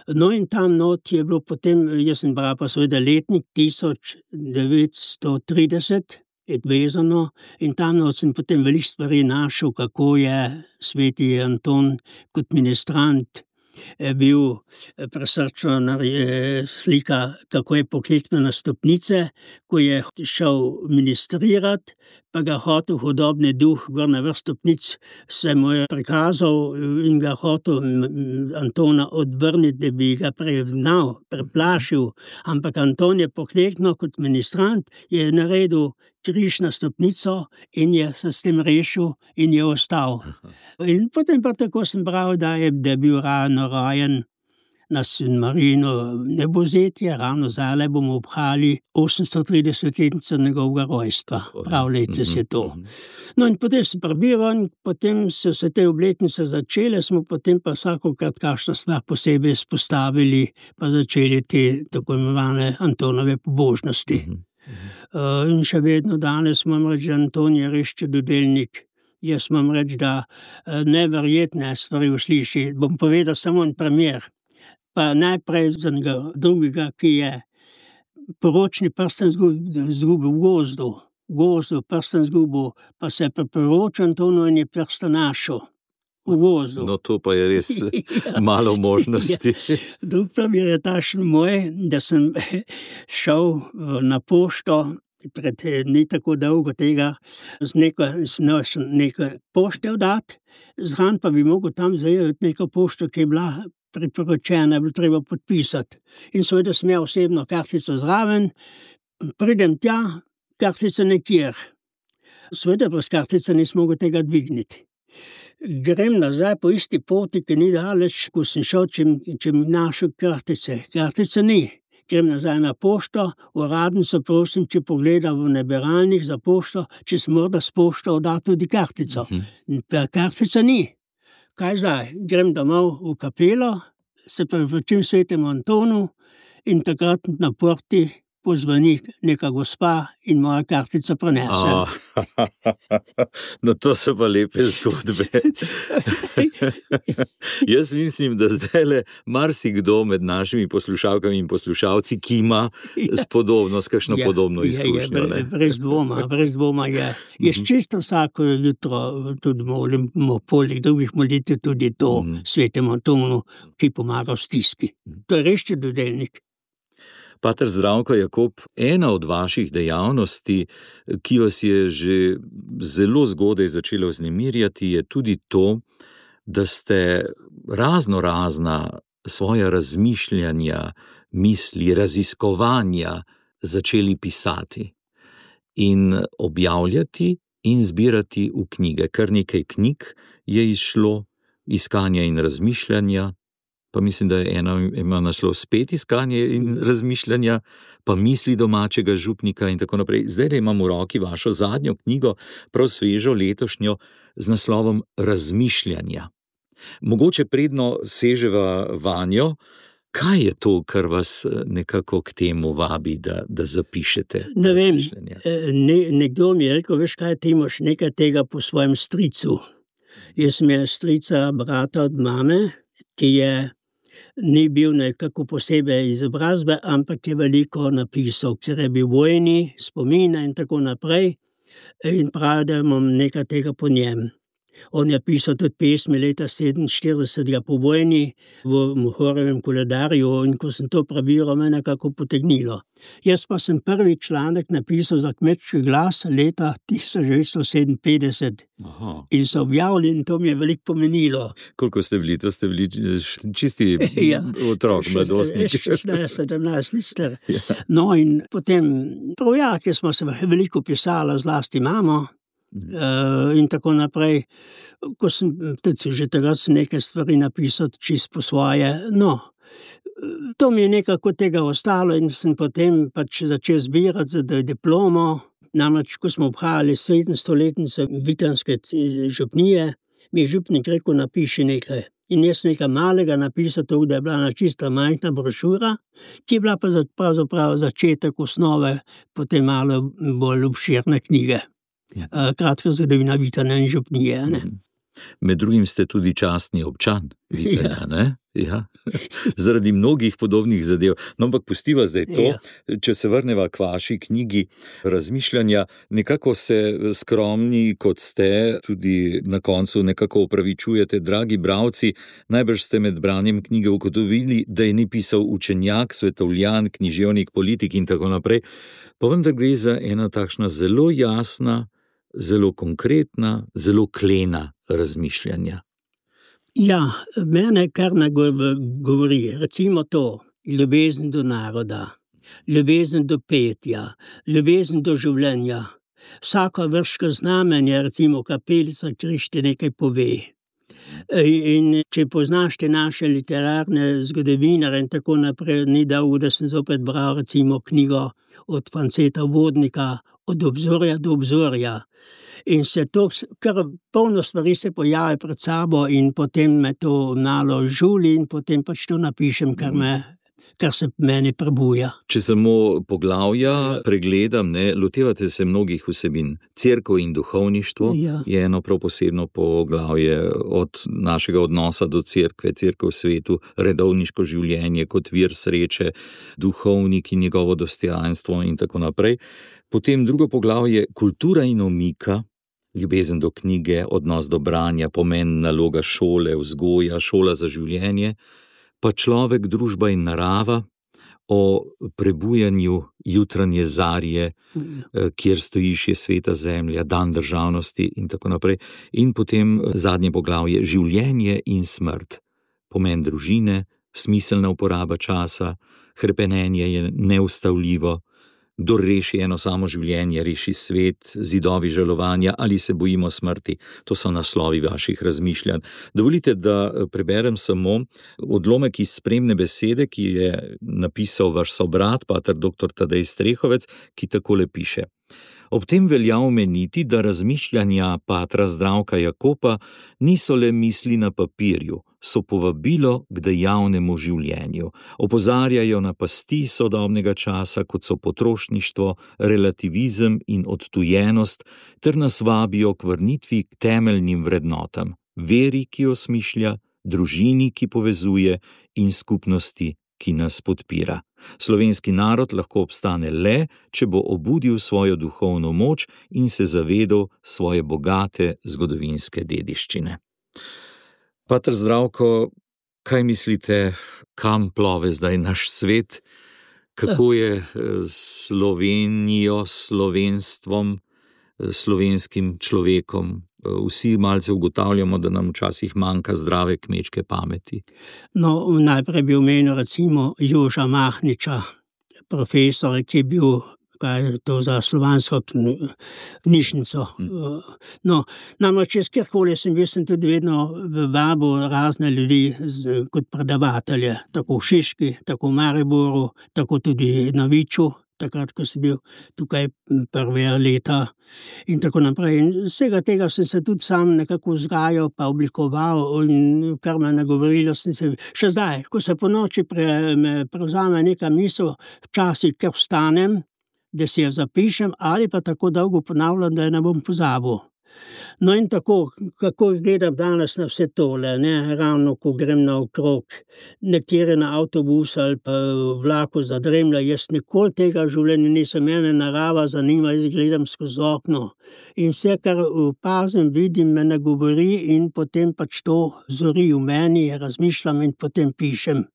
No in tam not je bilo potem, jaz sem bral pa seveda letnik tisoč devetsto trideset, je vezano, in tam not sem potem veliko stvari našel, kako je sveti Anton kot ministrant bil presrčno slika, kako je pokleknil na stopnice, ko je šel ministrirati, pa ga hotel hudobni duh, gor na vrh stopnic se mu je prikazal in ga hotel Antona odvrniti, da bi ga pregnal, preplašil, ampak Anton je pokleknil kot ministrant, je naredil križ na stopnico in je se s tem rešil in je ostal. In potem pa tako sem bral, da je, da je bil ravno rojen na San Marino Nebozetje, ravno zdaj bomo obhajali osemstotridesetletnico njegovega rojstva. Prav letos je to. No in potem sem prebival in potem so se te obletnice začele, smo potem pa vsakokrat kakšno stvar posebej izpostavili, pa začeli te tako imenovane Antonove pobožnosti. Uh, in še vedno danes moram reči, da Anton je res čudodelnik. Jaz moram reči, da uh, neverjetne stvari usliši. Bom povedal samo en primer. Pa najprej za njega drugega, ki je poročni prsten zgubil v gozdu. V gozdu prsten zgubil, pa se je priporočil Antonu in je prsten našel. V gozdu. No, to pa je res ja. Malo možnosti. Ja. Drug primer je tašen moj, da sem šel na pošto pred ni tako dolgo tega, z neko, z neko pošte vdati, zraven pa bi mogel tam zajeti neko pošto, ki je bila priporočena, je bilo treba podpisati. In seveda sem imel osebno kartico zraven, pridem tja, kartica nekjer. Seveda pa s kartica nisem mogel tega dvigniti. Grem nazaj po isti poti, ki ni daleč, ko sem šel, če, če mi našel kartice. Kartice ni. Grem nazaj na pošto, uradnico prosim, če pogleda v nabiralnik za pošto, če sem morda s pošto oddati tudi kartico. Uh-huh. Kartica ni. Kaj zdaj? Grem domov v kapelo, se priporočim svetemu Antonu in takrat na porti pozvoni neka gospa in moja kartica prenese. Oh. No, to so pa lepe zgodbe. Jaz mislim, da zdaj marsikdo med našimi poslušalkami in poslušalci, ki ima ja. Spodobno, s kakšno ja, podobno izkušnjo. Je, je, brez dvoma, brez dvoma je. Jaz čisto vsako jutro tudi molim, poleg drugih molitev tudi to mm. svetemu Antonu, ki pomaga v stiski. To je res čudodelnik. Pater Zdravko Jakob, ena od vaših dejavnosti, ki vas je že zelo zgodaj začela vznemirjati, je tudi to, da ste razno razna svoja razmišljanja, misli, raziskovanja začeli pisati in objavljati in zbirati v knjige. Kar nekaj knjig je izšlo, iskanja in razmišljanja, pa mislim, da je ena ima naslov spet iskanje in razmišljanja, pa misli domačega župnika in tako naprej. Zdaj da imam v roki vašo zadnjo knjigo, prav svežo letošnjo, z naslovom Razmišljanja. Mogoče predno seževa vanjo, kaj je to, kar vas nekako k temu vabi, da, da zapišete? Ne vem, ne, nekdo mi je rekel, veš kaj, ti imaš nekaj tega po svojem stricu. Jaz sem je strica brata od mame, ki je ni bil nekako posebej izobrazbe, ampak je veliko napisal, ker je bil vojni, spomina in tako naprej in pravi, da imam nekaj tega po njem. On je pisal tudi pesmi leta sedeminštiridesetega po vojni v Mohorjevem koledarju in ko sem to prebiral, me nekako potegnilo. Jaz pa sem prvi članek napisal za Kmečki glas leta tisoč devetsto sedeminpetdeset. Aha. In so objavili in to mi je veliko pomenilo. Koliko ste bili? To ste bili čisti ja. Otrok, mladostnik. šestnajst, sedemnajst let. Ja. No in potem, prav ja, ker smo se veliko pisala, zlasti mamo, Uh, in tako naprej, ko sem tudi že takrat nekaj stvari napisal čisto po svoje, no, to mi je nekako tega ostalo in sem potem pač začel zbirati za diplomo, namreč, ko smo obhajali sedemstoletnico Vitanske župnije, mi je župnik rekel, napiši nekaj. In jaz nekaj malega napisal to, da je bila na čista majhna brošura, ki je bila pa pravzaprav začetek osnove, potem malo bolj obširne knjige. Ja. Kratka zgodovina Vitanja in župnije. Ne? Med drugim ste tudi častni občan Vitanja, ja. Ne? Ja. Zaradi mnogih podobnih zadev. No, ampak pustiva zdaj to, ja. Če se vrneva k vaši knjigi Razmišljanja, nekako se skromni, kot ste, tudi na koncu nekako opravičujete, dragi bralci, najbrž ste med branjem knjige ugotovili, da je ni pisal učenjak, svetovljan, književnik, politik in tako naprej. Pa vendar gre za ena takšna zelo jasna, zelo konkretna, zelo klena razmišljanja. Ja, mene kar govori, recimo to, ljubezen do naroda, ljubezen do petja, ljubezen do življenja. Vsako vrško znamenje, recimo kapelica, Krišti nekaj pove. In če poznaš te naše literarne zgodovinare in tako naprej, ni dolgo, da sem zopet bral recimo knjigo od Franceta Vodnika, Od obzorja do obzorja. In se to, kar polno stvari se pojavi pred sabo in potem me to malo žuli in potem pač to napišem, kar me kar se meni prebuja. Če samo poglavja pregledam, ne, lotevate se mnogih vsebin. Cerkev in duhovništvo ja. Je eno prav posebno poglavje, od našega odnosa do cerkve, cerkev v svetu, redovniško življenje kot vir sreče, duhovnik in njegovo dostojanstvo in tako naprej. Potem drugo poglavje, kultura in omika, ljubezen do knjige, odnos do branja, pomen naloga šole, vzgoja, šola za življenje, pa človek, družba in narava, o prebujanju jutranje zarje, kjer stojiš je sveta zemlja, dan državnosti in tako naprej. In potem zadnje poglavje, življenje in smrt, pomen družine, smiselna uporaba časa, hrepenenje je neustavljivo, kdor reši eno samo življenje, reši svet, zidovi žalovanja ali se bojimo smrti. To so naslovi vaših razmišljanj. Dovolite, da preberem samo odlomek iz spremne besede, ki je napisal vaš sobrat, pater doktor Tadej Strehovec, ki takole piše. Ob tem velja omeniti, da razmišljanja patra Zdravka Jakopa niso le misli na papirju, so povabilo k dejavnemu življenju. Opozarjajo na pasti sodobnega časa, kot so potrošništvo, relativizem in odtujenost, ter nas vabijo k vrnitvi k temeljnim vrednotam, veri, ki osmišlja, družini, ki povezuje in skupnosti, ki nas podpira. Slovenski narod lahko obstane le, če bo obudil svojo duhovno moč in se zavedal svoje bogate zgodovinske dediščine. Pater Zdravko, kaj mislite, kam plove zdaj naš svet? Kako je s Slovenijo, slovenstvom, slovenskim človekom? Vsi malce ugotavljamo, da nam včasih manjka zdrave kmečke pameti. No, najprej bi omenil recimo Joža Mahniča, profesora, ki je bil, kaj je to za slovansko knjižnico. Hmm. No, namreč jaz kjerkoli sem bil, sem tudi vedno vabil razne ljudi kot predavatelje, tako v Šiški, tako v Mariboru, tako tudi na Viču, takrat, ko sem bil tukaj prve leta in tako naprej. In vsega tega sem se tudi sam nekako vzgajal, pa oblikoval in kar me nagovorilo sem se, še zdaj, ko se po noči pre, me prevzame neka misel, včasih kar vstanem, da si jo zapišem ali pa tako dolgo ponavljam, da je ne bom pozabil. No in tako, kako gledam danes na vse tole, ne, ravno ko grem na okrog, nekateri na avtobus ali pa vlaku zadremlja, jaz nikoli tega življenja nisem, mene narava zanima, jaz gledam skozi okno in vse, kar opazim, vidim, me nagovori in potem pač to zori v meni, razmišljam in potem pišem.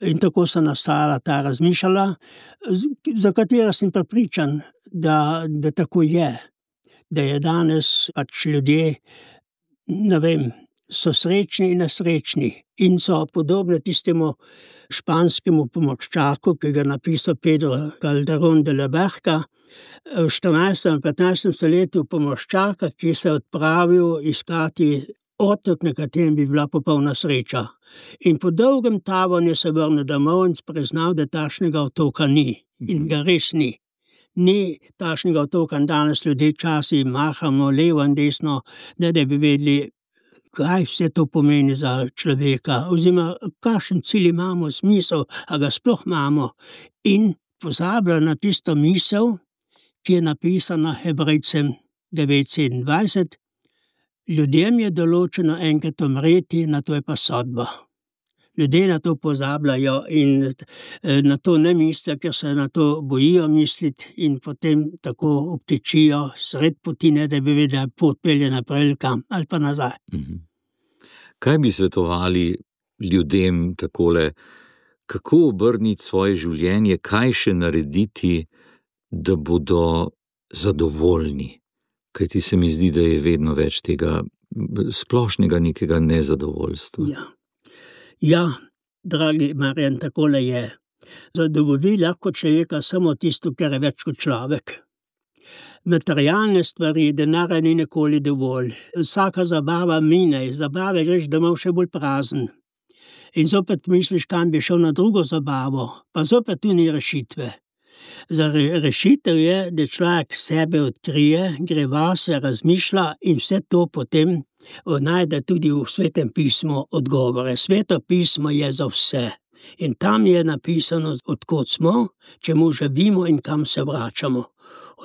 In tako so nastala ta razmišljala, za katera sem prepričan, da, da tako je. Da je danes pač ljudje, ne vem, so srečni in nesrečni in so podobne tistemu španskemu pomorščaku, ki ga napisal Pedro Calderón de la Barca, v štirinajstem in petnajstem stoletju pomorščaka, ki se je odpravil iskati otok, na katerem bi bila popolna sreča. In po dolgem tavanju se vrnil domov in priznal, da takšnega otoka ni in ga res ni. Ni takšnega otoka, danes ljudje časi mahamo levo in desno, ne da bi vedeli, kaj vse to pomeni za človeka, oziroma kakšen cilj imamo, smisel, a ga sploh imamo. In pozablja na tisto misel, ki je napisana Hebrejcem devet sedemindvajset, ljudem je določeno enkrat umreti, na to je pa sodba. Ljudje na to pozabljajo in na to ne mislijo, ker se na to bojijo misliti in potem tako obtečijo sred potine, da bi vedeli, pot pelje naprej kam ali pa nazaj. Mhm. Kaj bi svetovali ljudem takole, kako obrniti svoje življenje, kaj še narediti, da bodo zadovoljni, Kajti se mi zdi, da je vedno več tega splošnega nekega nezadovoljstva. Ja, ja, dragi Marjan, takole je. Zadovolji lahko človeka samo tisto, kar je več kot človek. Materialne stvari, denarja ni nikoli dovolj. Vsaka zabava mine, zabave greš domov še bolj prazen. In zopet misliš, kam bi šel na drugo zabavo, pa zopet tu ni rešitve. Za rešitev je, da človek sebe odkrije, gre vase, razmišlja in vse to potem najde tudi v Svetem pismu odgovore. Sveto pismo je za vse. In tam je napisano, odkot smo, čemu živimo in kam se vračamo.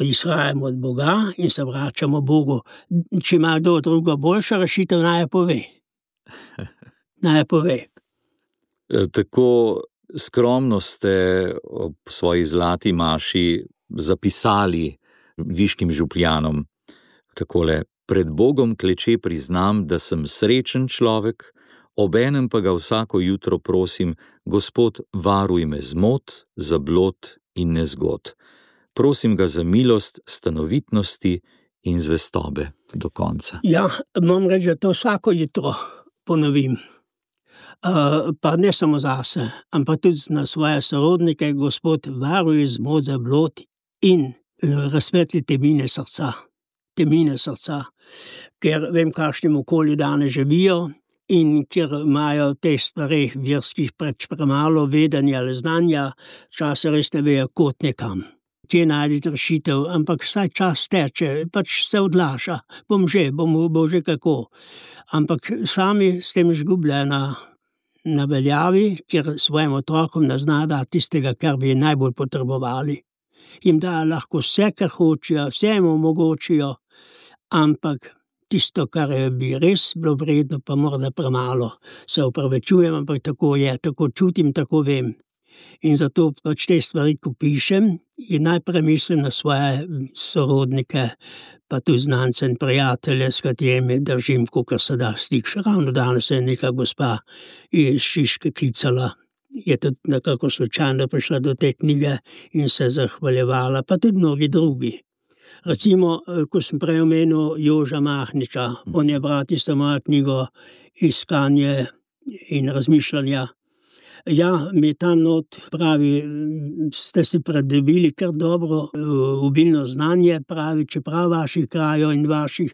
Izhajamo od Boga in se vračamo Bogu. Če ima kdo drugo boljša rešitev, naj pove. Naj pove. Tako skromno ste ob svoji zlati maši zapisali viškim župljanom. Takole, pred Bogom kleče priznam, da sem srečen človek, obenem pa ga vsako jutro prosim, Gospod, varuj me zmot, zablod in nezgod. Prosim ga za milost, stanovitnosti in zvestobe do konca. Ja, moram reči, da to vsako jutro ponovim. Uh, pa ne samo zase, ampak tudi na svoje sorodnike, Gospod, varuj zmot, zablod in uh, razsvetli temine srca. Temine srca, ker vem, kakšnem okolju danes živijo in ker imajo te stvari verskih preč premalo vedenja ali znanja, čas res ne vejo kot nekam. Kje najdete rešitev, ampak vsaj čas teče, pač se odlaša, bom že, bom, bom že kako. Ampak sami s tem izgubljena na veljavi, ker svojim otrokom ne zna dati tistega, kar bi najbolj potrebovali. Jim da lahko vse, kar hočejo, vse jim omogočijo, ampak tisto, kar bi res bilo vredno, pa morda premalo. Se opravičujem, ampak tako je, tako čutim, tako vem. In zato pač te stvari, ko pišem, in najprej mislim na svoje sorodnike, pa tudi znance in prijatelje, s katerimi držim, kakor se da stik. Ravno danes je neka gospa iz Šiške klicala, je tudi nekako slučajno prišla do te knjige in se zahvaljevala, pa tudi mnogi drugi. Recimo, ko sem prej omenil Joža Mahniča, on je bral tisto mojo knjigo Iskanje in razmišljanja. Ja, mi tam not pravi, ste si pridobili kar dobro obilno znanje, pravi, čeprav vaših krajev in vaših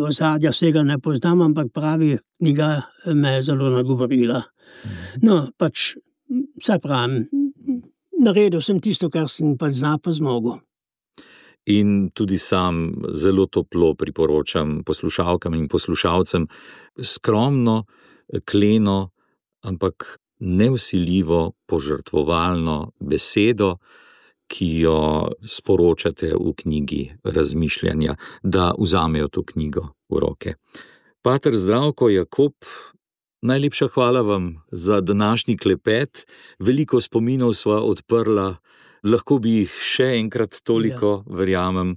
ozadja vsega ne poznam, ampak pravi, knjiga me je zelo nagovorila. No, pač, vse pravim, naredil sem tisto, kar sem pa zna pa zmogel. In tudi sam zelo toplo priporočam poslušalkam in poslušalcem skromno, kleno, ampak nevsiljivo, požrtvovalno besedo, ki jo sporočate v knjigi razmišljanja, da vzamejo to knjigo v roke. Pater Zdravko Jakob, najlepša hvala vam za današnji klepet, veliko spominov sva odprla, lahko bi jih še enkrat toliko, ja. Verjamem.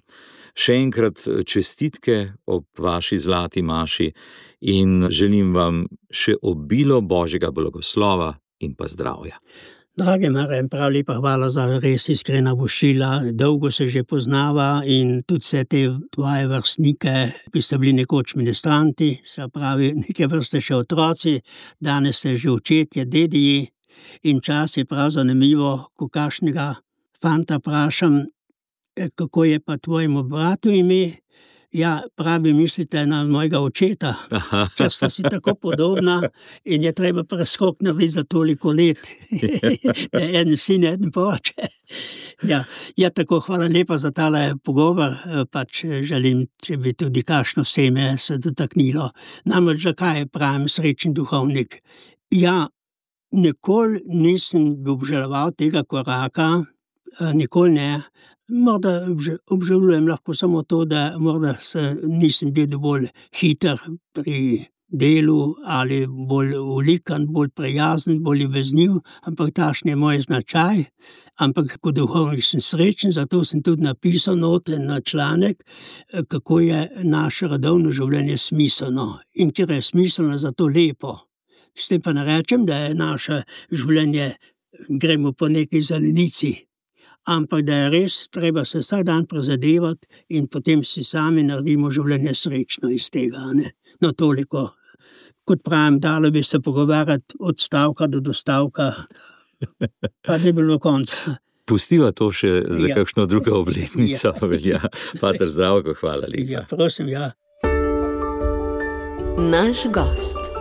Še enkrat čestitke ob vaši zlati maši in želim vam še obilo Božjega blagoslova in pa zdravja. Dragi Marjan, prav lepa hvala za res iskrena voščila. Dolgo se že poznava in tudi vse te tvoje vrstnike, ki ste bili nekoč ministranti, se pravi, neke vrste še otroci, danes ste že očetje, dediji in čas je prav zanimivo, ko kakšnega fanta vprašam, kako je pa tvojemu bratu ime? Ja, pravi, mislite na mojega očeta, ker sta si tako podobna in je treba preskok narediti za toliko let. En sin, en oče. Ja, ja, tako, hvala lepa za tale pogovor, pač želim, če bi tudi kakšno seme se dotaknilo. Namreč, zakaj pravim srečen duhovnik? Ja, nikoli nisem obžaloval tega koraka, nikoli ne. Morda obžalujem lahko samo to, da morda se nisem bil dovolj hiter pri delu ali bolj ulikan, bolj prijazen, bolj ljubezniv, ampak takšen je moj značaj. Ampak kot duhovnik sem srečen, zato sem tudi napisal note na članek, kako je naše redovno življenje smiselno in ker je smiselno, zato lepo. S tem pa ne rečem, da je naše življenje, gremo po neki zelenici. ampak da je res, treba se vsak dan prizadevati in potem si sami naredimo življenje srečno iz tega. Ne? No, toliko. Kot pravim, dalo bi se pogovarjati od stavka do dostavka, pa ne bilo konca. Pustiva to še za Ja. kakšno drugo obletnico. Ja. Velja. Pater Zdravko, hvala lepa. Ja, prosim, ja. Naš gost.